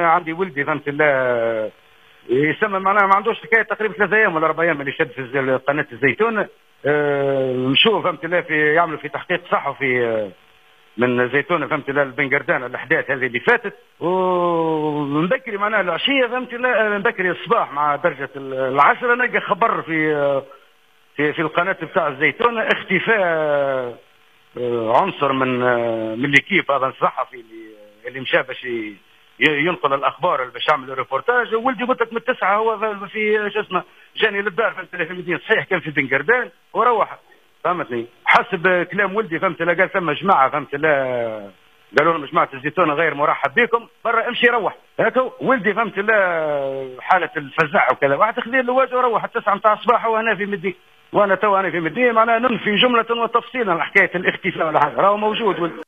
انا عندي ولدي، فهمت الله، يسمى معناها ما عندوش حكاية تقريبا 3 ايام ولا 4 ايام اللي شد في قناة الزيتون. مشوا، فهمت الله، في يعملوا في تحقيق صحفي من زيتونه، فهمت الله، البنقردان الاحداث هذه اللي فاتت. ومن بكري معناها العشيه، فهمت الله، من بكري الصباح مع درجه 10 نلقى خبر في القناة بتاع الزيتونه اختفاء عنصر من l'équipe هذا الصحفي اللي مشى باش ينقل الاخبار، اللي باش يعمل ريبورتاج. ولدي قلت لك من 9 هو في شو اسمه جاني للدار، فهمت، في المدينه. صحيح كان في بنقردان وروح، فهمتني، حسب كلام ولدي، فهمت، لا قال ثم جماعه، فهمت، لا قالوا لهم جماعة الزيتونه غير مرحب بكم، برا امشي روح. هكا ولدي، فهمت، لا حاله الفزع وكذا، واحد خذي اللواج وروح 9 نتاع الصباح وهنا في مدينه. وانا تو انا في مدينه، معناها ننفي جملة وتفصيلا حكاية الاختفاء ولا حاجه، راهو موجود ولدي.